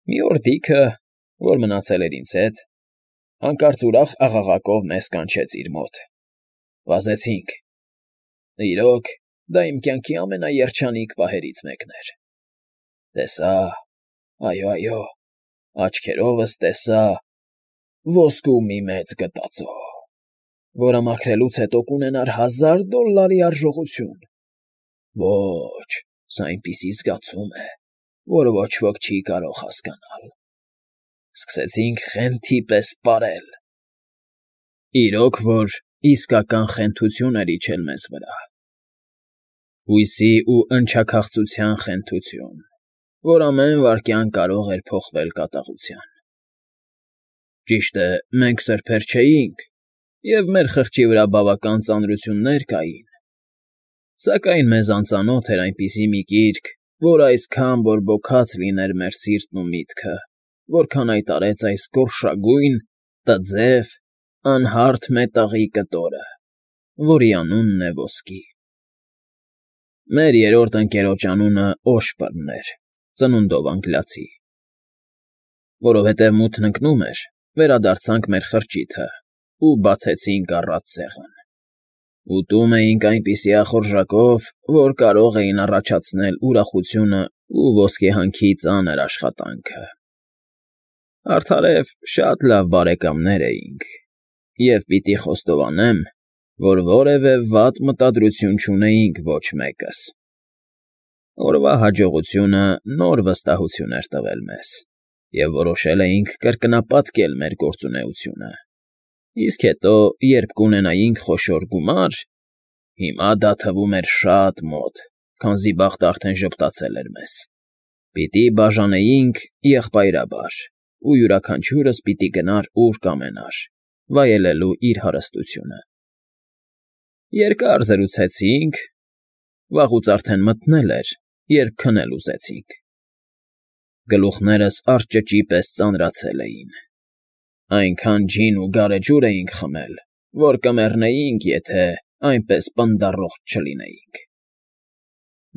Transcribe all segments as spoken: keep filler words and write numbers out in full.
Մի օր Դիքը, որ մնացել էր ինձ հետ, հանկարծ ուրախ աղաղակով մեզ կանչեց իր մոտ։ Վազեցինք։ Իրոք, դա իմ կյանքի ամենաերջանիկ պահերից մեկն էր։ Տեսա, այո, այո, աչքերովս տեսա ոսկու մի մեծ գտածո, որը մաքրելուց հետո կունենար հազար դոլլարի արժողություն։ Ոչ, սա այնպիսի զգացում է, որ ոչ ոք չի կարող հասկանալ։ Սկսեցինք խենթի պես պարել։ Իրոք որ իսկական խենթություն էր իջել մեզ վրա։ Հույսի ու ընչաքաղցության խենթություն, որ ամեն վայրկյան կարող էր փոխվել կատաղության։ Ճիշտ է, մենք սրբեր չէինք, և մեր խղճի վրա բավական ծանրություններ կային, սակայն մեզ անծանոթ էր այնպիսի մի գիրք, որ այսքան բորբոքած լիներ մեր սիրտն ու միտքը, որքան այդ արեց այս գորշագույն, տձև, անհարթ մետաղի կտորը, որի անունն է ոսկի։ Մեր երրորդ ընկերոջ անունը Օշպրն էր, ծնունդով անգլիացի։ Որովհետև մութն ընկնում էր, վերադարձանք մեր խրճիթը ու բացեցինք առատ սեղան։ Ուտում էինք այնպիսի ախորժակով, որ կարող էին առաջացնել ուրախությունը ու ոսկեհանքի ծանր աշխատանքը։ Արդարև շատ լավ բարեկամներ էինք, և պիտի խոստովանեմ, որ որևէ վատ մտադրություն չունեինք ոչ մեկս։ Օրվա հաջողությունը նոր վստահություն էր տվել մեզ, և որոշել էինք կրկնապատկել մեր գործունեությունը, իսկ հետո, երբ կունենայինք խոշոր գումար, հիմա դա թվում էր շատ մոտ, քանզի բախտը արդեն ժպտացել էր մեզ, պիտի բաժանեինք եղբայրաբար, ու յուրաքանչյուրս պիտի գնար ուր կամենար, վայելելու իր հարստությունը։ Երկար զրուցեցինք, վաղուց արդեն մթնել էր, երբ քնել ուզեցինք։ Գլուխներս արճճի պես ծանրացել էին։ Այնքան ջին ու գարեջուր էինք խմել, որ կմեռնեինք, եթե այնպես պնդառողջ չլինեինք։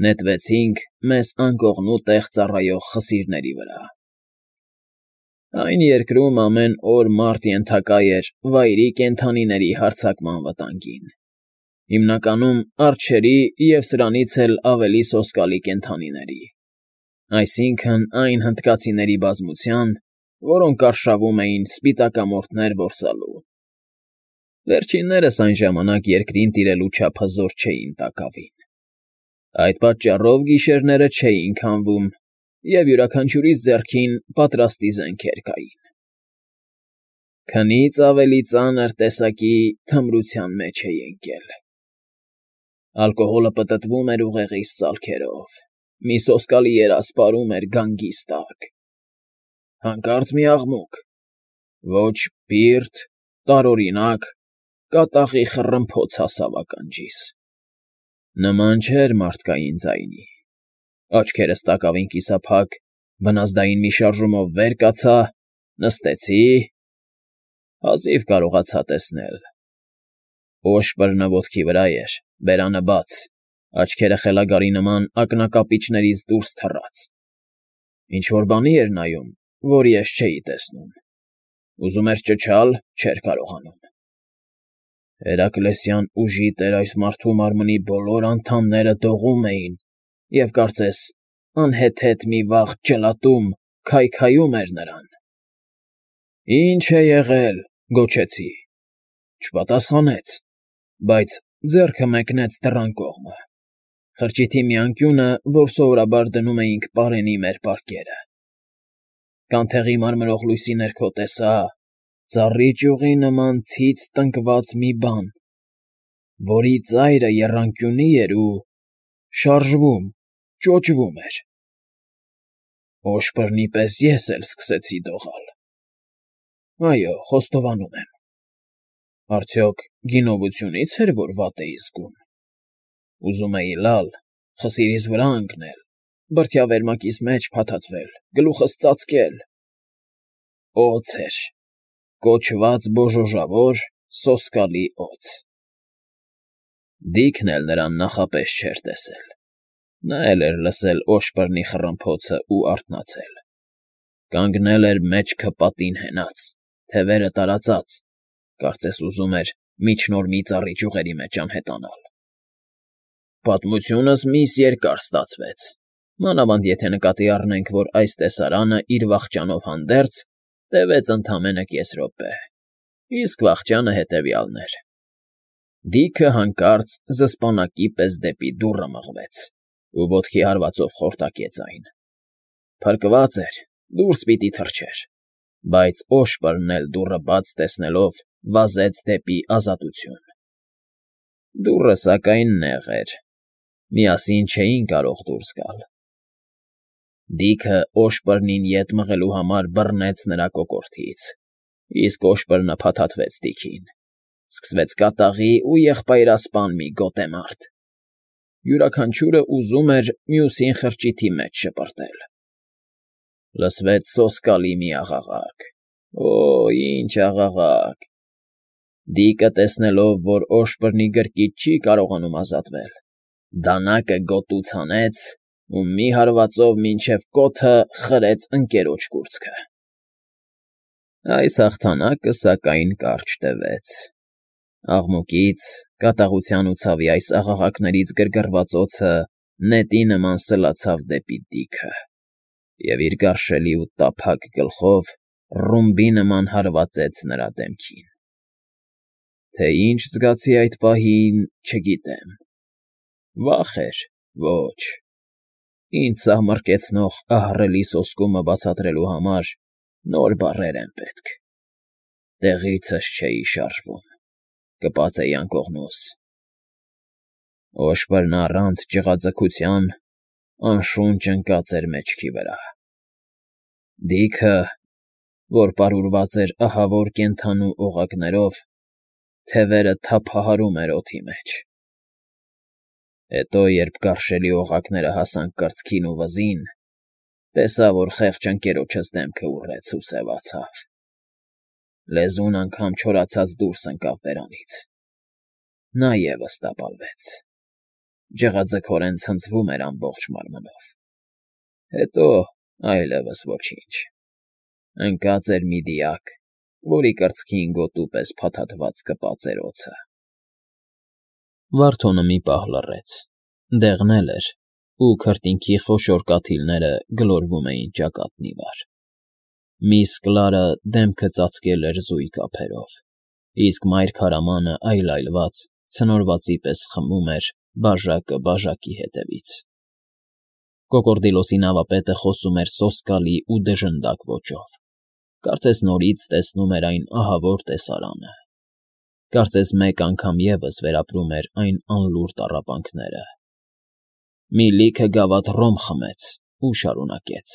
Նետվեցինք մեզ անկողնու տեղ ծառայող խսիրների վրա։ Այն երկրում ամեն օր մարդ ենթակա էր վայրի կենդանիների հարձակման վտանգին, հիմնականում արջերի և սրանից էլ ավելի սոսկալի կենդանիների, այսինքն այն հնդկացիների բազմության, որոնք արշավում էին սպիտակամորթներ որսալու։ Վերջիններս այն ժամանակ երկրին տիրելու չափը զոր չէին տակավին։ Այդ պատճառով գիշերները չէին քամվում, և յուրաքանչյուրիս ձեռքին պատրաստի զենքեր կային։ Քնից ավելի ծանր տեսակի թմրության մեջ էի ընկել։ Ալկոհոլը պտտվում էր ուղեղիս ծալքերով, մի սոսկալի երազ պարում էր գանգիս տակ։ Հանկարծ մի աղմուկ, ոչ բիրտ, տարօրինակ, կատաղի խռմփոց հասավ ականջիս։ Նման չէր մարդկային ձայնի։ Աչքերս տակավին կիսափակ, վնասդային մի շարժումով վեր կացա, նստեցի, հազիվ կարողացա տեսնել։ Օշպրը ոտքի վրա էր, բերանը բաց, աչքերը խելագարի նման ակնակապիճներից դուրս թռած։ Ինչ֊որ բանի էր նայում, որ ես չէի տեսնում։ Ուզում էր ճչալ, չէր կարողանում։ Հերակլեսյան ուժի տեր այս մարդու մարմնի բոլոր անդամները դողում էին և, կարծես, անհեթեթ մի վաղ ջլատում քայքայում էր նրան։ «Ի՞նչ է եղել», գոչեցի։ Չպատասխանեց, բայց ձեռքը մեկնեց դռան կողմը, խրճիթի մի անկյունը, որ սովորաբար դնում էինք պարենի մեր պարկերը։ Կանթեղի մարմրող լույսի ներքո տեսա ծառի ճյուղի նման ցից տնկված մի բան, որի ծայրը եռանկյունի էր ու շարժվում, ճոճվում էր։ Օշպրնի պես ես էլ սկսեցի դողալ։ Այո, խոստովանում եմ։ Արդյոք գինովությունի՞ց էր, որ վատ էի զգում։ Ուզում էի լալ, խսիրիս վրա ընկնել, բրդյա վերմակիս մեջ փաթաթվել, գլուխս ծածկել։ Օձ էր, կոչված բոժոժավոր, սոսկալի օձ։ Դիքն էլ նրան նախապես չէր տեսել։ Նա էլ էր լսել Օշպրնի խռմփոցն ու արթնացել։ Կանգնել էր մեջքը պատին հենած, թևերը տարածած, կարծես ուզում էր միջնոր մի ծառի ճյուղերի մեջ անհետանալ։ Պատմությունս միս երկար ստացվեց, մանավանդ եթե նկատի առնենք, որ այս տեսարանը իր վախճանով հանդերձ տևեց ընդամենը կես րոպե, իսկ վախճանը հետևյալն էր. Դիքը հանկարծ զսպանակի պես դեպի դուռը մղվեց ու ոտքի հարվածով խորտակեց այն։ Փրկված էր, դուրս պիտի թռչեր, բայց Օշպրն էլ դուռը բաց տեսնելով վազեց դեպի ազատություն։ Դուռը, սակայն, նեղ էր, միասին չէին կարող դուրս գալ։ Դիքը Օշպրնին ետ մղելու համար բռնեց նրա կոկորդից, իսկ Օշպրը փաթաթվեց Դիքին։ Սկսվեց կատաղի ու եղբայրասպան մի գոտեմարտ։ Յուրաքանչյուրը ուզում էր մյուսին խրճիթի մեջ շպրտել։ Լսվեց սոսկալի մի աղաղակ. Օ, ինչ աղաղակ… Դիկը, տեսնելով, որ Օշպրնի գրկից չի կարողանում ազատվել, դանակը գոտուց հանեց ու մի հարվածով մինչև կոթը խրեց ընկերոջ կուրծքը։ Այս հաղթանակը, սակայն, կարճ տևեց։ Աղմուկից, կատաղության ու ցավի այս աղաղակներից գրգռված օդը նետի նման սլացավ դեպի Դիքը և իր գարշելի ու տափակ գլխով ռումբի նման հարվածեց նրա դեմքին։ Թե ինչ զգացի այդ պահին, չգիտեմ։ Վախ էր, ոչ… Ինձ սահմռկեցնող ահռելի սոսկումը բացատրելու համար նոր բառեր են պետք։ Տեղիցս չէի շարժվում, կպած էի անկողնուս։ Օշպրն առանց ջղաձգության անշունչ ընկած էր մեջքի վրա։ Դիքը, որ պարուրված էր ահավոր կենդանու օղակներով, թևերը թափահարում էր օդի մեջ։ Հետո, երբ գարշելի օղակները հասան կրծքին ու վզին, տեսա, որ խեղճ ընկերոջս դեմքը ուռեց ու սևացավ։ Լեզուն անգամ չորացած դուրս ընկավ բերանից։ Նա ևս տապալվեց, ջղաձգորեն ցնցվում էր ամբողջ մարմնով։ Հետո այլևս ոչինչ, ընկած էր մի դիակ, որի կրծքին գոտու պես փաթաթված կպած էր օձը։ Վարդոնը մի պահ լռեց, դեղնել էր, ու քրտինքի խոշոր կաթիլները գլորվում էին ճակատն ի վար։ Միս Կլարը դեմքը ծածկել էր զույգ ափերով, իսկ մայր քարամանը այլայլված, ցնորվածի պես խմում էր բաժակը բաժակի հետևից։ Կոկորդիլոսի նավապետը խոսում էր սոսկալի ու դժնդակ ոճով, կարծես նորից տեսնում էր այն ահավոր տեսարանը, կարծես մեկ անգամ ևս վերապրում էր այն անլուռ տառապանքները։ Մի լիքը գավաթ ռոմ խմեց ու շարունակեց.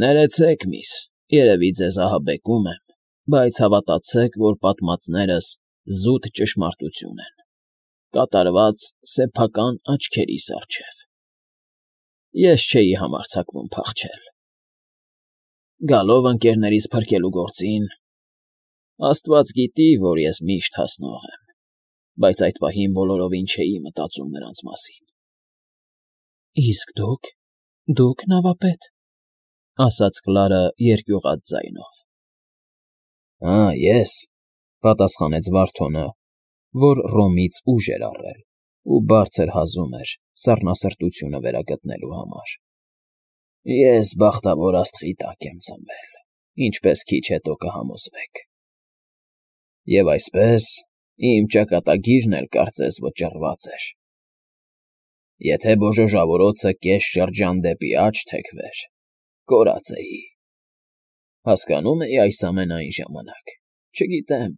Ներեցեք, միս, երևի ձեզ ահաբեկում եմ, բայց հավատացեք, որ պատմածներս զուտ ճշմարտություն են, կատարված սեփական աչքերիս առջև։ Ես չէի համարձակվում փախչել։ Գալով ընկերներիս փրկելու գործին, Աստված գիտի, որ ես միշտ հասնող եմ, բայց այդ պահին բոլորովին չէի մտածում նրանց մասին։ Իսկ դուք… դուք նավապետ… ասաց Կլարը երկյուղած ձայնով։ Ա, ես… պատասխանեց Վարդոնը, որ ռոմից ուժ էր առել ու բարձր հազում էր սառնասրտությունը վերագտնելու համար։ Ես բախտավոր աստղի տակ եմ ծնվել, ինչպես քիչ հետո կհամոզվեք։ Եվ այսպես, իմ ճակատագիրն էլ կարծես վճռված էր։ Եթե բոժոժավորոցը կես շրջան դեպի աջ թեքվեր, կորած էի։ Հասկանո՞ւմ էի այս ամենը այն ժամանակ, չգիտեմ,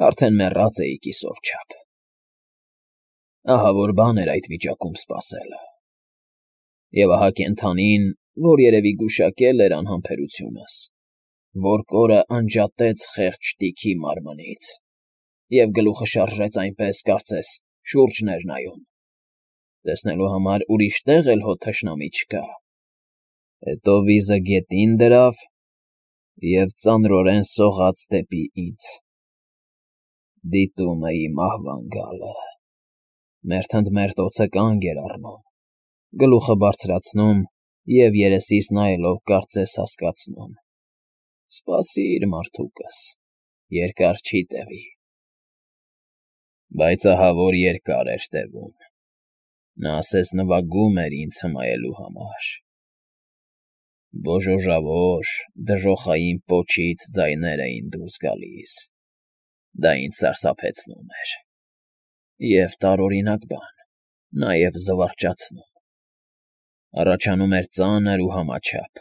արդեն մեռած էի կիսով չափ։ Ահավոր բան էր այդ վիճակում սպասելը։ Եվ ահա կենդանին, որ երևի գուշակել էր անհամբերությունս, որ կորը անջատեց խեղճ Դիքի մարմնից և գլուխը շարժեց այնպես, կարծես շուրջն էր նայում, տեսնելու համար ուրիշ տեղ էլ հո թշնամի չկա։ Հետո վիզը գետին դրավ և ծանրորեն սողաց դեպի ինձ։ Դիտում էի մահվան գալը։ Մերթընդմերթ օձը կանգ էր առնում, գլուխը բարձրացնում և երեսիս նայելով կարծես հասկացնում. «Սպասիր, մարդուկս, երկար չի տևի»։ Բայց ահա որ երկար էր տևում. նա ասես նվագում էր ինձ հմայելու համար։ Բոժոժավոր, դժոխային պոչից ձայներ էին դուրս գալիս, դա ինձ սարսափեցնում էր, և տարօրինակ բան, նաև զվարճացնում։ Առաջանում էր ծանր ու համաչափ,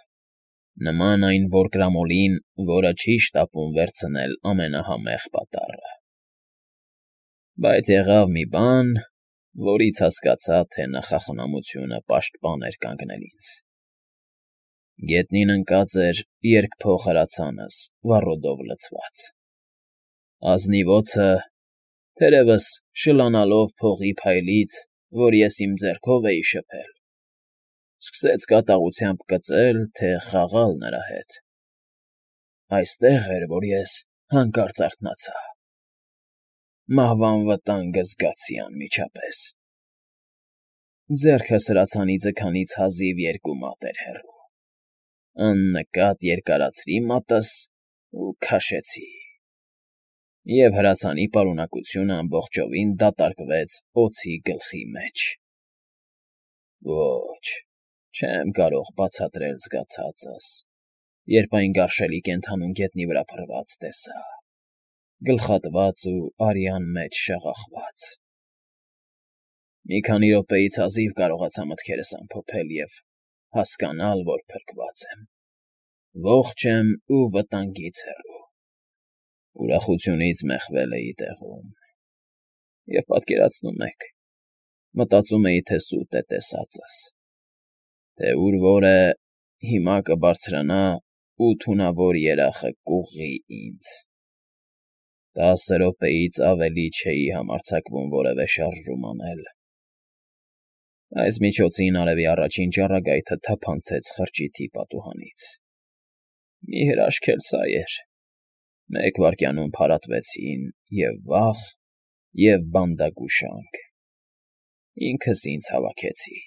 նման այն որկրամոլին, որը չի շտապում վերցնել ամենահամեղ պատառը։ Բայց եղավ մի բան, որից հասկացա, թե նախախնամությունը պաշտպան էր կանգնել ինձ։ Գետնին ընկած էր երկփող հրացանս, վառոդով լցված։ Ազնիվ օձը, թերևս շլանալով փողի փայլից, որ ես իմ ձեռքով էի շփել, սկսեց կատաղությամբ կծել, թե խաղալ նրա հետ։ Այստեղ էր, որ ես հանկարծ արթնացա։ Մահվան վտանգը զգացի անմիջապես։ Ձեռքս հրացանի ձգանից հազիվ երկու մատ էր հեռու։ Աննկատ երկարացրի մատս ու քաշեցի, և հրացանի պարունակությունը ամբողջովին դատարկվեց օձի գլխի մեջ։ Ոչ, չեմ կարող բացատրել զգացածս, երբ այն գարշելի կենդանուն գետնի վրա փռված տեսա, գլխատված ու արյան մեջ շաղախված։ Մի քանի րոպեից հազիվ կարողացա մտքերս ամփոփել և հասկանալ, որ փրկված եմ, ողջ եմ ու վտանգից հեռու։ Ուրախությունից մեխվել էի տեղում, և պատկերացնում եք, մտածում էի, թե սուտ է տեսածս, թե ուր որ է, հիմա կբարձրանա ու թունավոր երախը կուղղի ինձ։ Տասը րոպեից ավելի չէի համարձակվում որևէ շարժում անել։ Այս միջոցին արևի առաջին ճառագայթը թափանցեց խրճիթի պատուհանից։ Մի հրաշք էլ սա էր. մեկ վայրկյանում փարատվեցին և՛ վախ, և՛ բանդագուշանք։ Ինքս ինձ հավաքեցի։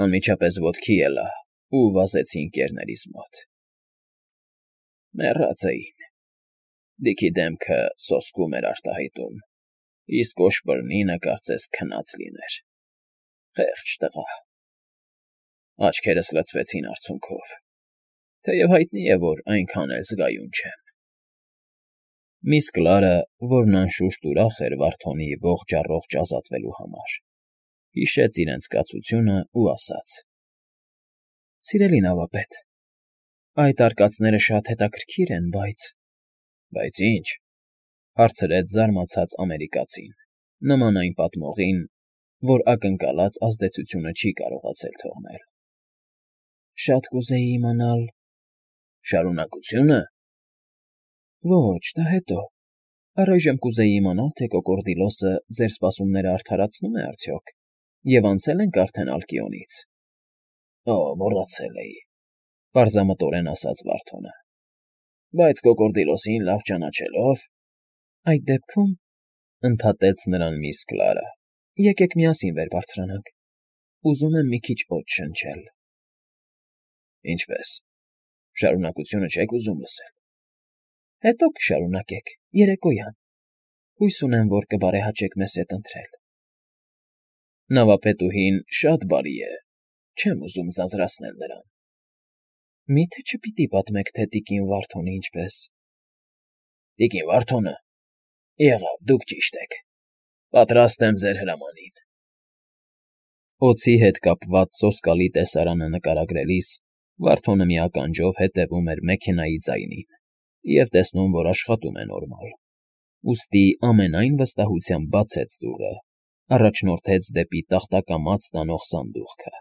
Անմիջապես ոտքի ելա ու վազեցի ընկներներիս մոտ։ Մեռած էին։ Դիքի դեմքը սոսկում էր արտահայտում, իսկ կոշբռնինը կարծես քնած լիներ։ Խեղճ տղա։ Աչքերս լցվեցին արցունքով, թեև հայտնի է, որ այնքան էլ զգայուն չեմ։ Միս Կլարը, որն անշուշտ ուրախ էր Վարդոնի ողջ֊առողջ ազատվելու համար, հիշեց իրենց կացությունը ու ասաց. «Սիրելի նավապետ, այդ արկածները շատ հետաքրքիր են, բայց…»։ Բայց ի՞նչ,֊ հարցրեց զարմացած ամերիկացին, նման այն պատմողին, որ ակնկալած ազդեցությունը չի կարողացել թողնել։ Շատ կուզեի իմանալ… Շարունակությո՞ւնը։ Ոչ, դա հետո։ Առայժմ կուզեի իմանալ, թե կոկորդիլոսը ձեր սպասումները արդարացնում է արդյոք, և անցե՞լ ենք արդեն Ալկիոնից։ Օ, մոռացել էի,֊ պարզամտորեն ասաց Վարդոնը։ Բայց կոկորդիլոսին լավ ճանաչելով… Այդ դեպքում,֊ ընդհատեց նրան միս Կլարը,֊ եկեք միասին վեր բարձրանանք, ուզում եմ մի քիչ օդ շնչել։ Ինչպե՞ս, շարունակությունը չեք ուզում լսել։ Հետո կշարունակեք, երեկոյան, հույս ունեմ, որ կբարեհաճեք մեզ հետ ընթրել։ Նավապետուհին շատ բարի է, չեմ ուզում ձանձրացնել նրան։ Մի՞թե չպիտի պատմեք, թե տիկին Վարդոնը ինչպես… Տիկին Վարդոնը… Եղավ, դուք ճիշտ եք, պատրաստ եմ ձեր հրամանին։ Օձի հետ կապված սոսկալի տեսարանը նկարագրելիս Վարդոնը մի ականջով հետևում էր մեքենայի ձայնին և տեսնում, որ աշխատում է նորմալ, ուստի ամենայն վստահությամբ բացեց դուռը, առաջնորդեց դեպի տախտակամած տանող սանդուղքը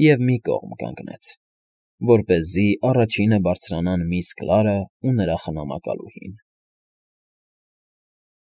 և մի կողմ կանգնեց, որպեսզի առաջինը բարձրանան միս Կլարն ու նրա խնամակալուհին։